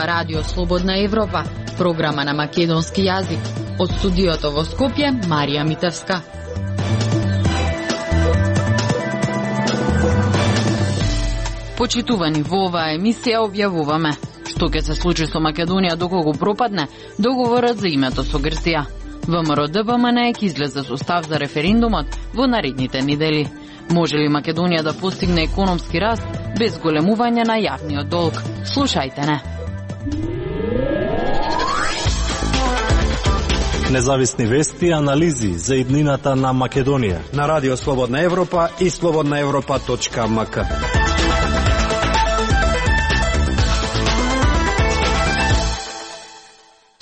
Радио Слободна Европа, програма на македонски јазик. Од студиото во Скопје, Марија Митевска. Почитувани, во оваа емисија објавуваме што ќе се случи со Македонија доколку пропадне договорот за името со Грција. ВМРО-ДПМН ќе излезе со став за референдумот во наредните недели. Може ли Македонија да постигне економски раст без големување на јавниот долг? Слушајте не. Независни вести и анализи за иднината на Македонија на Радио Слободна Европа и slobodnaevropa.mk.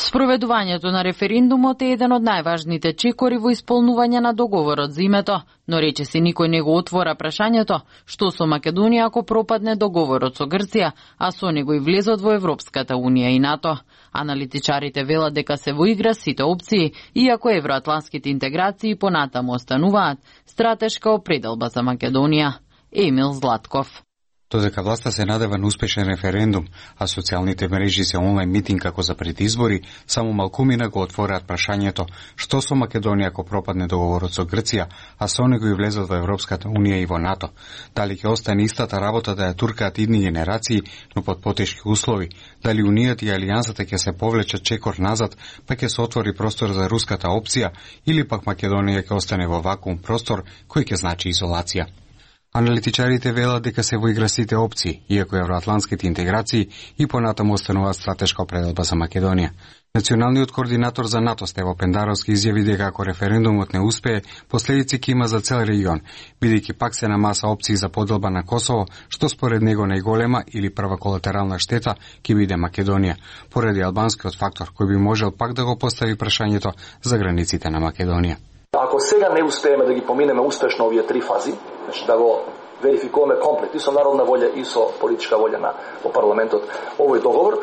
Спроведувањето на референдумот е еден од најважните чекори во исполнување на договорот за името, но речиси никој не го отвора прашањето што со Македонија ако пропадне договорот со Грција, а со него и влезот во Европската унија и НАТО. Аналитичарите велат дека се во игра сите опции, иако евроатлантските интеграции понатаму остануваат стратешка определба за Македонија. Емил Златков. Додека власта се надева на успешен референдум, а социјалните мрежи се онлайн митинг како за пред избори, само малкумина го отвораат прашањето што со Македонија ако пропадне договорот со Грција, а со него и влезот во Европската унија и во НАТО. Дали ќе остане истата работа да ја туркаат идни генерации, но под потешки услови, дали Унијата и Алијансата ќе се повлечат чекор назад, па ќе се отвори простор за руската опција, или пак Македонија ќе остане во вакуум простор кој ќе значи изолација. Аналитичарите велат дека се во игра сите опции, иако евроатлантските интеграции и понатаму остануваат стратешка определба за Македонија. Националниот координатор за НАТО Стево Пендаровски изјави дека ако референдумот не успее, последици ќе има за цел регион, бидејќи пак се на маса опции за поделба на Косово, што според него најголема или прва колатерална штета ќе биде Македонија, поради албанскиот фактор кој би можел пак да го постави прашањето за границите на Македонија. Ако сега не успееме да ги поминеме успешно овие три фази, значи да го верификуваме комплет и со народна волја и со политичка волја во парламентот овој договор,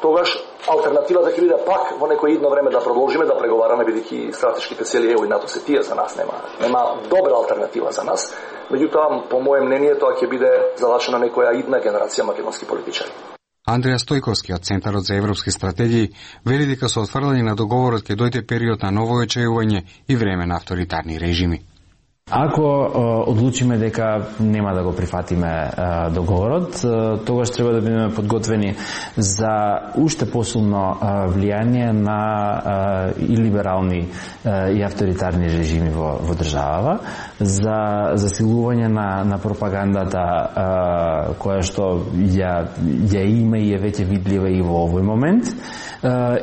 тогаш алтернативата ќе биде пак во некој идно време да продолжиме да преговараме, бидејќи стратешките цели ЕУ и НАТО се тие за нас, нема добра алтернатива за нас. Меѓутоа, по моје мнение, тоа ќе биде залачена некоја идна генерација македонски политичари. Андреја Стојковски од Центарот за европски стратегии вели дека со отфрлање на договорот ќе дојде период на ново очајување и време на авторитарни режими. Ако одлучиме дека нема да го прифатиме договорот, тогаш треба да бидеме подготвени за уште посилно влијание на и либерални и авторитарни режими во државава, за засилување на пропагандата која што ја има и е веќе видлива и во овој момент,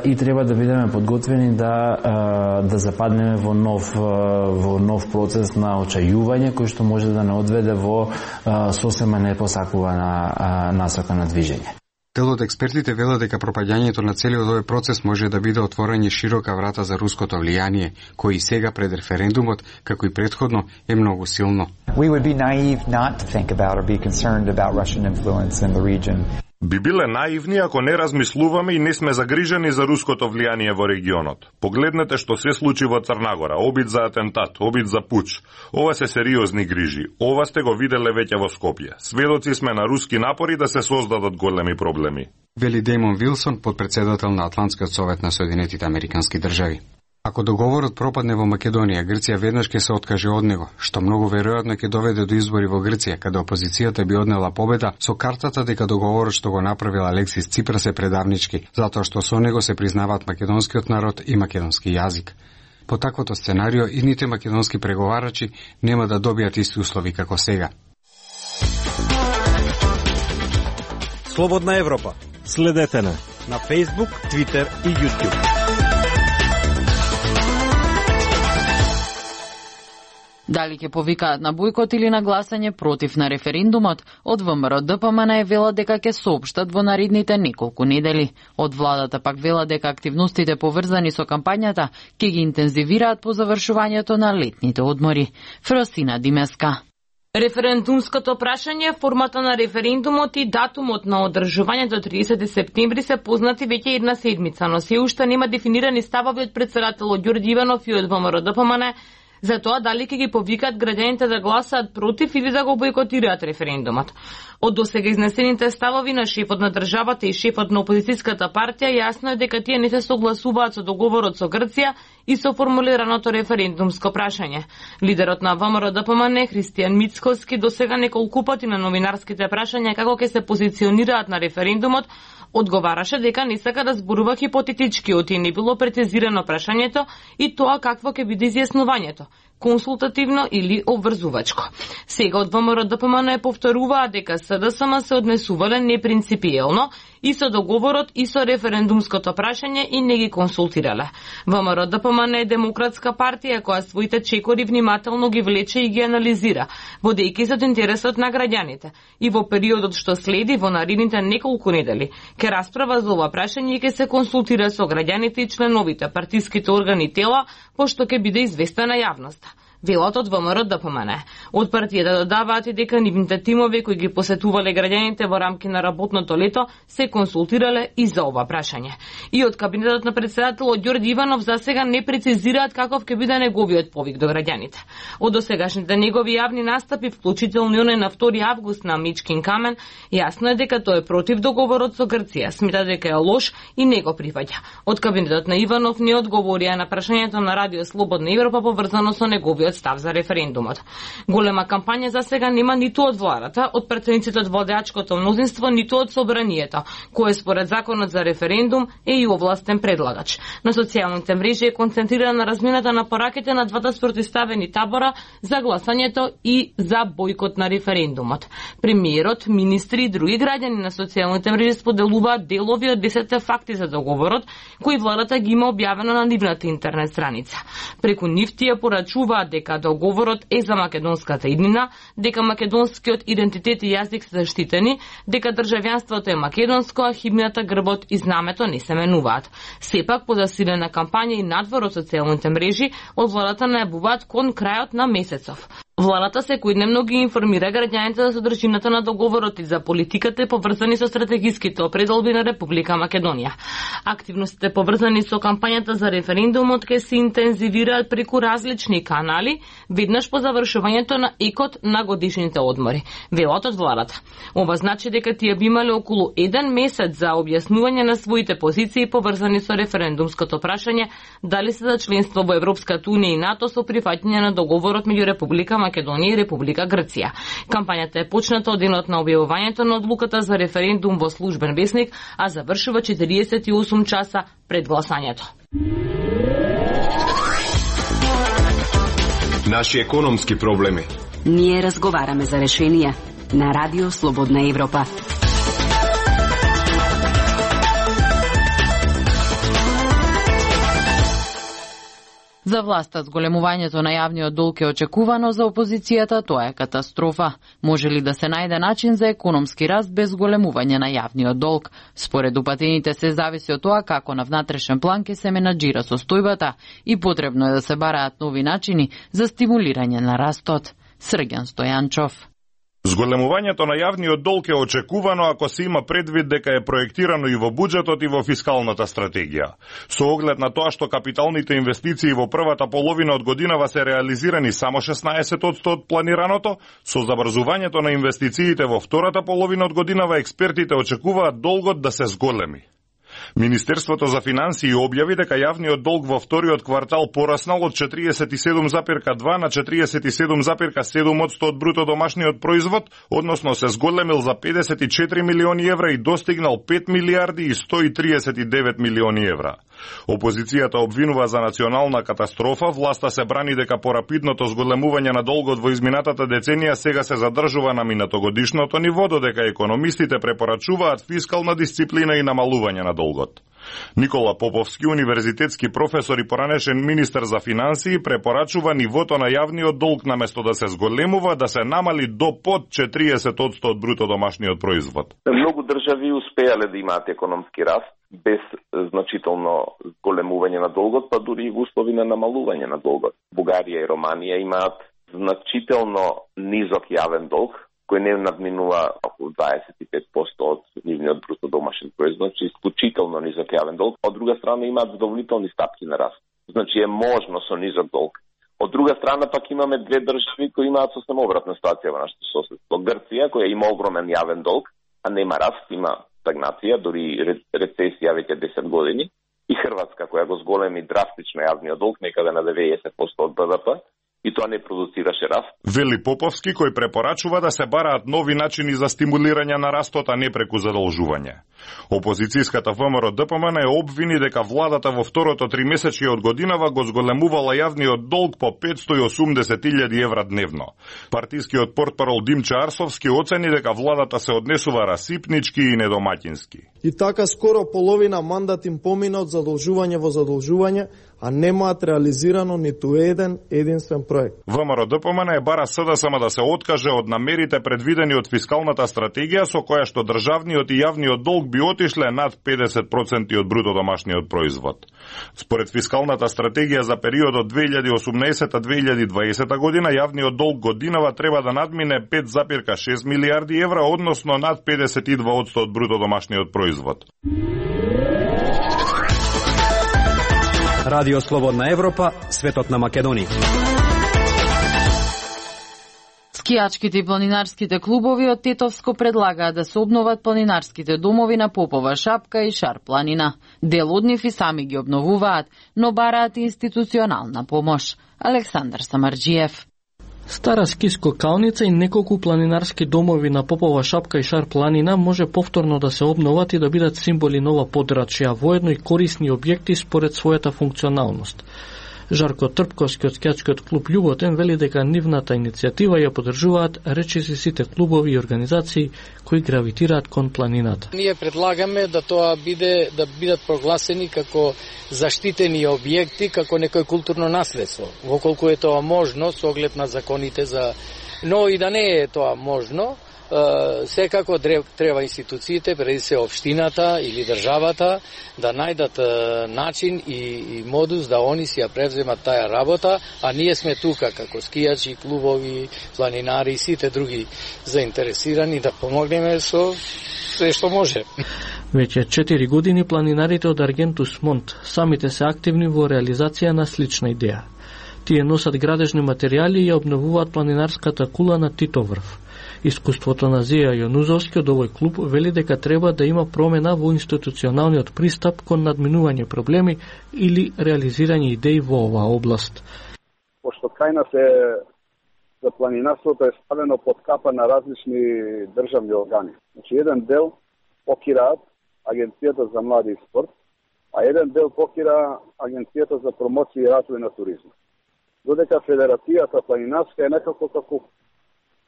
и треба да бидеме подготвени да западнеме во нов процес на очајување кој што може да не одведе во сосема непосакувана насока на движење. Дел од експертите велат дека пропаѓањето на целиот овој процес може да биде отворање широка врата за руското влијание, кој и сега пред референдумот, како и претходно, е многу силно. We would be naive not to think about or be concerned about Russian influence in the region. Би биле наивни ако не размислуваме и не сме загрижени за руското влијание во регионот. Погледнете што се случи во Црнагора, обид за атентат, обид за пуч. Ова се сериозни грижи. Ова сте го виделе веќе во Скопје. Сведоци сме на руски напори да се создадат големи проблеми. Вели Деймон Вилсон, подпредседател на Атлантскиот совет на Соединетите американски држави. Ако договорот пропадне во Македонија, Грција веднаш ќе се откаже од него, што многу веројатно ќе доведе до избори во Грција, каде опозицијата би однела победа со картата дека договорот што го направил Алексис Ципрас е предавнички, затоа што со него се признаваат македонскиот народ и македонски јазик. По таквото сценарио, идните македонски преговарачи нема да добијат исти услови како сега. Слободна Европа. Следете на Facebook, Twitter и YouTube. Дали ќе повикаат на бојкот или на гласање против на референдумот, од ВМРО-ДПМН вела дека ќе соопштат во наредните неколку недели. Од владата пак вела дека активностите поврзани со кампањата ќе ги интензивираат по завршувањето на летните одмори. Фросина Димеска. Референдумското прашање, формата на референдумот и датумот на одржување до 30 септември се познати веќе една седмица, но се уште нема дефинирани ставови од претседателот Ѓорѓе Иванов и од ВМРО-ДПМН за тоа дали ќе ги повикаат граѓаните да гласаат против или да го бойкотираат референдумот. Од досега изнесените ставови на шефот на државата и шефот на опозицијската партија јасно е дека тие не се согласуваат со договорот со Грција и со формулираното референдумско прашање. Лидерот на ВМРО-ДПМН Христијан Мицкоски досега неколку пати на новинарските прашања како ќе се позиционираат на референдумот одговараше дека не сака да зборува хипотетички, оти не било прецизирано прашањето и тоа какво ќе биде изјаснувањето, консултативно или обврзувачко. Сега од ВМРО-ДПМН повторуваат дека СДСМ се однесувале непринципиелно и со договорот и со референдумското прашање и не ги консултирале. ВМРО-ДПМН е демократска партија која своите чекори внимателно ги влече и ги анализира, водејќи се од интересот на граѓаните. И во периодот што следи во наредните неколку недели ќе расправа за ова прашање и ќе се консултира со граѓаните и членовите, партиските органи и тела, пошто ќе биде известена јавноста. Велат од ВМРО-ДПМН. Од партијата додаваат и дека нивните тимови кои ги посетувале граѓаните во рамки на работното лето се консултирале и за ова прашање. И од кабинетот на председателот Ѓорѓи Иванов засега не прецизираат каков ќе биде неговиот повик до граѓаните. Од досегашните негови јавни настапи, вклучително и оној на 2 август на Мичкин камен, јасно е дека тој е против договорот со Грција, смета дека е лош и не го прифаќа. Од кабинетот на Иванов не одговорија на прашањето на Радио Слободна Европа поврзано со неговиот став за референдумот. Голема кампања за сега нема ниту од владата, од претседниците од владеачкото мнозинство, ниту од собранието, кое според законот за референдум е и овластен предлагач. На социјалните мрежи е концентрирана на размената на пораките на двата спротивставени табора за гласањето и за бојкот на референдумот. Премиерот, министри и други граѓани на социјалните мрежи споделуваат делови од 10 факти за договорот, кои владата ги има објавено на нивната интернет страница. Преку нив тие порачуваат дека договорот е за македонската иднина, дека македонскиот идентитет и јазик се заштитени, дека државјанството е македонско, а химната, грбот и знамето не се менуваат. Сепак, по засилена кампања и надвор од социјалните мрежи, од владата најавуваат кон крајот на месецов. Владата секојдневно ги информира граѓаните за содржината на договорот и за политиката поврзани со стратегиските определби на Република Македонија. Активностите поврзани со кампањата за референдумот ќе се интензивираат преку различни канали, веднаш по завршувањето на екот на годишните одмори. Велат од владата. Ова значи дека тие би имале околу 1 месец за објаснување на своите позиции поврзани со референдумското прашање дали се за членство во Европската унија и НАТО со прифаќање на договорот меѓу Република Македонија и Република Грција. Кампањата е почната од денот на објавувањето на одлуката за референдум во службен весник, а завршува 48 часа пред гласањето. Наши економски проблеми. Ние разговараме за решенија на Радио Слободна Европа. За власта зголемувањето на јавниот долг е очекувано, за опозицијата тоа е катастрофа. Може ли да се најде начин за економски раст без зголемување на јавниот долг? Според упатените се зависи од тоа како на внатрешен план ќе се менаџира состојбата и потребно е да се бараат нови начини за стимулирање на растот. Срѓан Стојанчов. Зголемувањето на јавниот долг е очекувано ако се има предвид дека е проектирано и во буџетот и во фискалната стратегија. Со оглед на тоа што капиталните инвестиции во првата половина од годинава се реализирани само 16% од планираното, со забрзувањето на инвестициите во втората половина од годинава експертите очекуваат долгот да се зголеми. Министерството за финансии објави дека јавниот долг во вториот квартал пораснал од 47,2 на 47,7% од бруто домашниот производ, односно се зголемил за 54 милиони евра и достигнал 5 милиарди и 139 милиони евра. Опозицијата обвинува за национална катастрофа, власта се брани дека порапидното зголемување на долгот во изминатата деценија сега се задржува на минатогодишното ниво, додека економистите препорачуваат фискална дисциплина и намалување на долгот. Никола Поповски, универзитетски професор и поранешен министер за финансии, препорачува нивото на јавниот долг наместо да се зголемува, да се намали до под 40% од бруто домашниот производ. Многу држави успеале да имаат економски раст без значително зголемување на долгот, па дури и во услови на намалување на долгот. Бугарија и Романија имаат значително низок јавен долг, кој не надминува околу 25% од нивниот бруто домашен производ, значи исклучително низок јавен долг. Од друга страна имаат задоволителни стапки на раст. Значи е можно со низок долг Од друга страна пак имаме две држави кои имаат сосем обратна ситуација во нашето соседство. Грција, која има огромен јавен долг, а нема раст, има стагнација, дури рецесија веќе 10 години, и Хрватска, која го зголеми драстично јавниот долг, некаде на 90% од БВП, и тоа не продуцираше раст. Вели Поповски, кој препорачува да се бараат нови начини за стимулирање на растот, а не преку задолжување. Опозицијската ВМРО-ДПМН е обвини дека владата во второто тримесечје од годинава го зголемувала јавниот долг по 580.000 евра дневно. Партискиот портпарол Димче Арсовски оцени дека владата се однесува расипнички и недомаќински. И така скоро половина мандат им помина од задолжување во задолжување, а немаат реализирано ниту еден единствен проект. ВМРО-ДПМН бара СДСМ да се откаже од намерите предвидени од фискалната стратегија со која што државниот и јавниот долг би отишле над 50% од бруто домашниот производ. Според фискалната стратегија за периодот 2018-2020 година јавниот долг годинава треба да надмине 5,6 милиарди евра, односно над 52% од бруто домашниот производ. Радио Слободна Европа, светот на Македонија. Скијачките и планинарските клубови од Тетовско предлагаат да се обноват планинарските домови на Попова шапка и Шар планина. Дел од нив и сами ги обновуваат, но бараат институционална помош. Александар Самарџиев. Стара скискокалница и неколку планинарски домови на Попова шапка и Шар планина може повторно да се обноват и да бидат символи нова подрачја, воедно и корисни објекти според својата функционалност. Жарко Трпковски од скијачкиот клуб Љуботен вели дека нивната иницијатива ја поддржуваат речиси сите клубови и организации кои гравитираат кон планината. Ние предлагаме да тоа бидат прогласени како заштитени објекти, како некој културно наследство, воколку е тоа можно со оглед на законите но и да не е тоа можно, секако треба институциите, преди се општината или државата, да најдат начин и модус да они си ја превземат таа работа, а ние сме тука како скијачи, клубови, планинари и сите други заинтересирани да помогнеме со се што може. Веќе 4 години планинарите од Аргентус Монт самите се активни во реализација на слична идеја. Тие носат градежни материјали и ја обновуваат планинарската кула на Титоврв. Искуството на Зија Јонузовски од овој клуб вели дека треба да има промена во институционалниот пристап кон надминување проблеми или реализирање идеи во оваа област. Пошто кај нас за планинарството е ставено под капа на различни државни органи. Значи еден дел покираат Агенцијата за млади и спорт, а еден дел покира Агенцијата за промоција и развој на туризмот. Додека Федерацијата планинарска е некако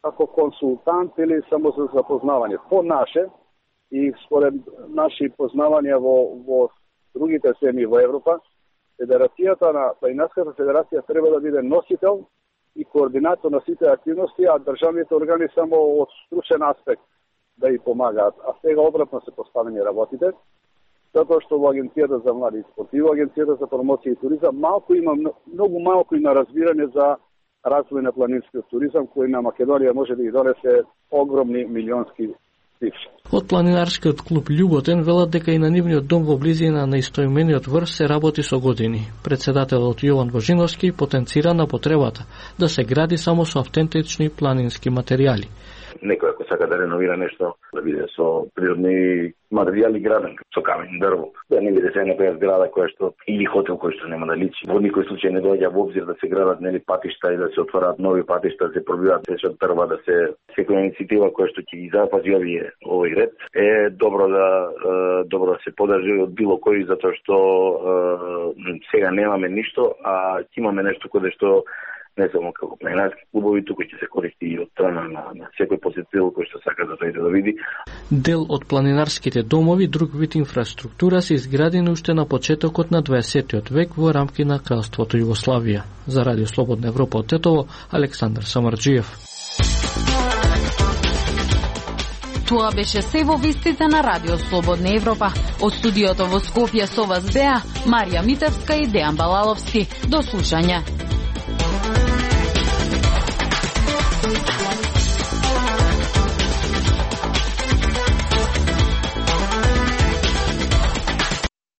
како консултант или само за запознавање. По наше и според наши познавања во другите земји во Европа, Федерацијата на Планинарската федерација треба да биде носител и координатор на сите активности, а државните органи само од стручен аспект да и помагаат. А сега обратно се поставени работите, затоа што во Агенцијата за млади и спорт и во Агенцијата за промоција и туризам многу малку има разбирање за развој на планинскиот туризам, кој на Македонија може да ги донесе огромни милионски цифри. Од планинарскиот клуб Љуботен велат дека и на нивниот дом во близина на истоимениот врв се работи со години. Председателот Јован Божиновски потенцира на потребата да се гради само со автентични планински материјали. Некој ако сака да реновира нешто, да биде со природни материјали граден, со камен, дрво. Да не биде се некоја зграда која што или хотел кој што нема да личи. Во никој случај не доаѓа во обзир да се градат патишта и да се отвораат нови патишта, да се пробиваат се од дрва, да се секоја иницијатива која што ќе ги запази овој ред е добро да се подржи од било кој, затоа што сега немаме ништо, а ќе имаме нешто кое што не само како планинарски клубови, туку ќе се користи и од страна на секој посетител кој што сака да дојде да види. Дел од планинарските домови, друг вид инфраструктура се изградени уште на почетокот на 20 век во рамки на кралството Југославија. За Радио Слободна Европа од Тетово, Александар Самарџиев. Тоа беше се во вестите на Радио Слободна Европа. Од студиото во Скопје со вас беа Марија Митевска и Дејан Балаловски. До слушање.